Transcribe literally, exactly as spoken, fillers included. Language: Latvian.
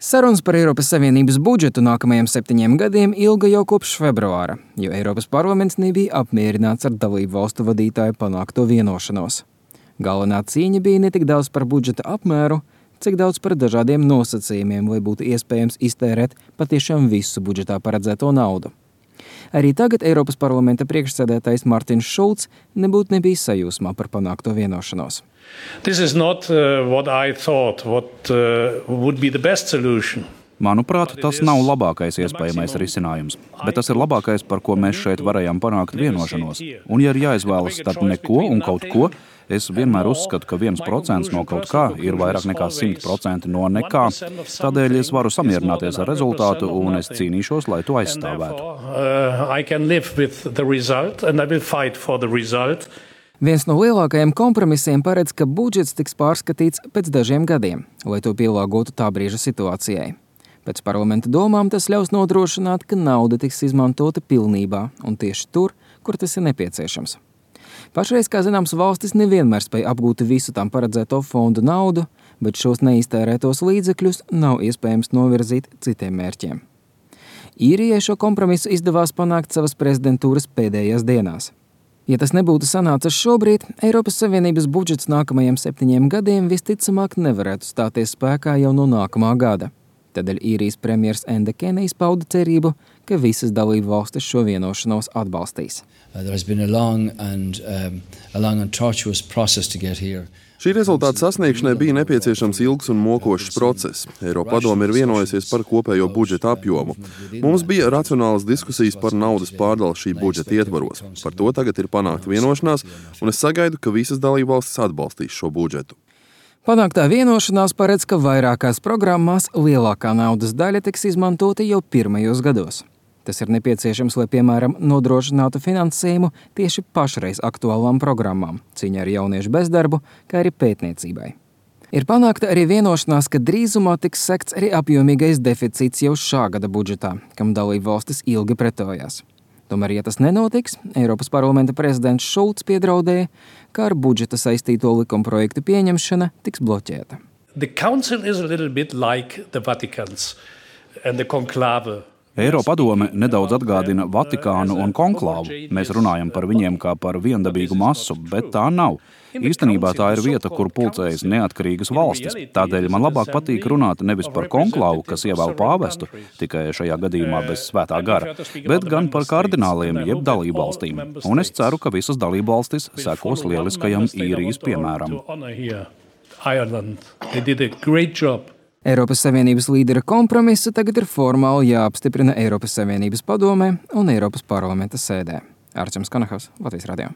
Sarunas par Eiropas Savienības budžetu nākamajiem septiņiem gadiem ilga jau kopš februāra, jo Eiropas parlaments nebija apmierināts ar dalību valstu vadītāju panākto vienošanos. Galvenā cīņa bija ne tik daudz par budžeta apmēru, cik daudz par dažādiem nosacījumiem, lai būtu iespējams iztērēt patiešām visu budžetā paredzēto naudu. Arī tagad Eiropas parlamenta priekšsēdētājs Martins Šulcs nebūtu nebija sajūsmā par panākto vienošanos. This is not uh, what I thought what uh, would be the best solution. Manuprāt, tas nav labākais iespējamais risinājums, bet tas ir labākais, par ko mēs šeit varējām panākt vienošanos. Un ja ir jāizvēlas starp neko un kaut ko, es vienmēr uzskatu, ka viens procents no kaut kā ir vairāk nekā simt procenti no nekā. Tādēļ es varu samierināties ar rezultātu un es cīnīšos, lai to aizstāvētu. Viens no lielākajiem kompromisiem paredz, ka budžets tiks pārskatīts pēc dažiem gadiem, lai to pielāgotu tā brīža situācijai. Pēc parlamenta domām tas ļaus nodrošināt, ka nauda tiks izmantota pilnībā un tieši tur, kur tas ir nepieciešams. Pašreiz, kā zināms, valstis nevienmēr spēj apgūt visu tām paredzēto fondu naudu, bet šos neiztērētos līdzekļus nav iespējams novirzīt citiem mērķiem. Īrijai šo kompromisu izdevās panākt savas prezidentūras pēdējās dienās. Ja tas nebūtu sanācis šobrīd, Eiropas Savienības budžets nākamajiem septiņiem gadiem visticamāk nevarētu stāties spēkā jau no nākamā gada. Tādēļ Īrijas premjers Enda Kenijs pauda cerību, ka visas dalību valstis šo vienošanos atbalstīs. Šī rezultāta sasniegšanai bija nepieciešams ilgs un mokošs process. Eiropadome ir vienojusies par kopējo budžeta apjomu. Mums bija racionālas diskusijas par naudas pārdalu šī budžeta ietvaros. Par to tagad ir panākta vienošanās, un es sagaidu, ka visas dalībvalstis atbalstīs šo budžetu. Panāktā vienošanās paredz, ka vairākās programmās lielākā naudas daļa tiks izmantota jau pirmajos gados. Tas ir nepieciešams, lai, piemēram, nodrošinātu finansējumu tieši pašreiz aktuālām programmām, cīņā ar jauniešu bezdarbu, kā arī pētniecībai. Ir panākta arī vienošanās, ka drīzumā tiks sekts arī apjomīgais deficīts jau šā gada budžetā, kam dalību valstis ilgi pretojās. Tomēr, ja tas nenotiks, Eiropas parlamenta prezidents Šulcs piedraudēja, ka ar budžeta saistīto likumprojektu pieņemšana tiks bloķēta. The council is a little bit like the Vaticans and the conclave. Eiropadome nedaudz atgādina Vatikānu un konklāvu. Mēs runājam par viņiem kā par viendabīgu masu, bet tā nav. Īstenībā tā ir vieta, kur pulcējas neatkarīgas valstis. Tādēļ man labāk patīk runāt nevis par konklāvu, kas ievēl pāvestu, tikai šajā gadījumā bez svētā gara, bet gan par kardināliem jeb dalībvalstīm. Un es ceru, ka visas dalībvalstis sekos lieliskajam Īrijas piemēram. Eiropas Savienības līdera kompromisu tagad ir formāli jāapstiprina Eiropas Savienības padomē un Eiropas parlamenta sēdē. Arčuns Kanahavs, Latvijas radio.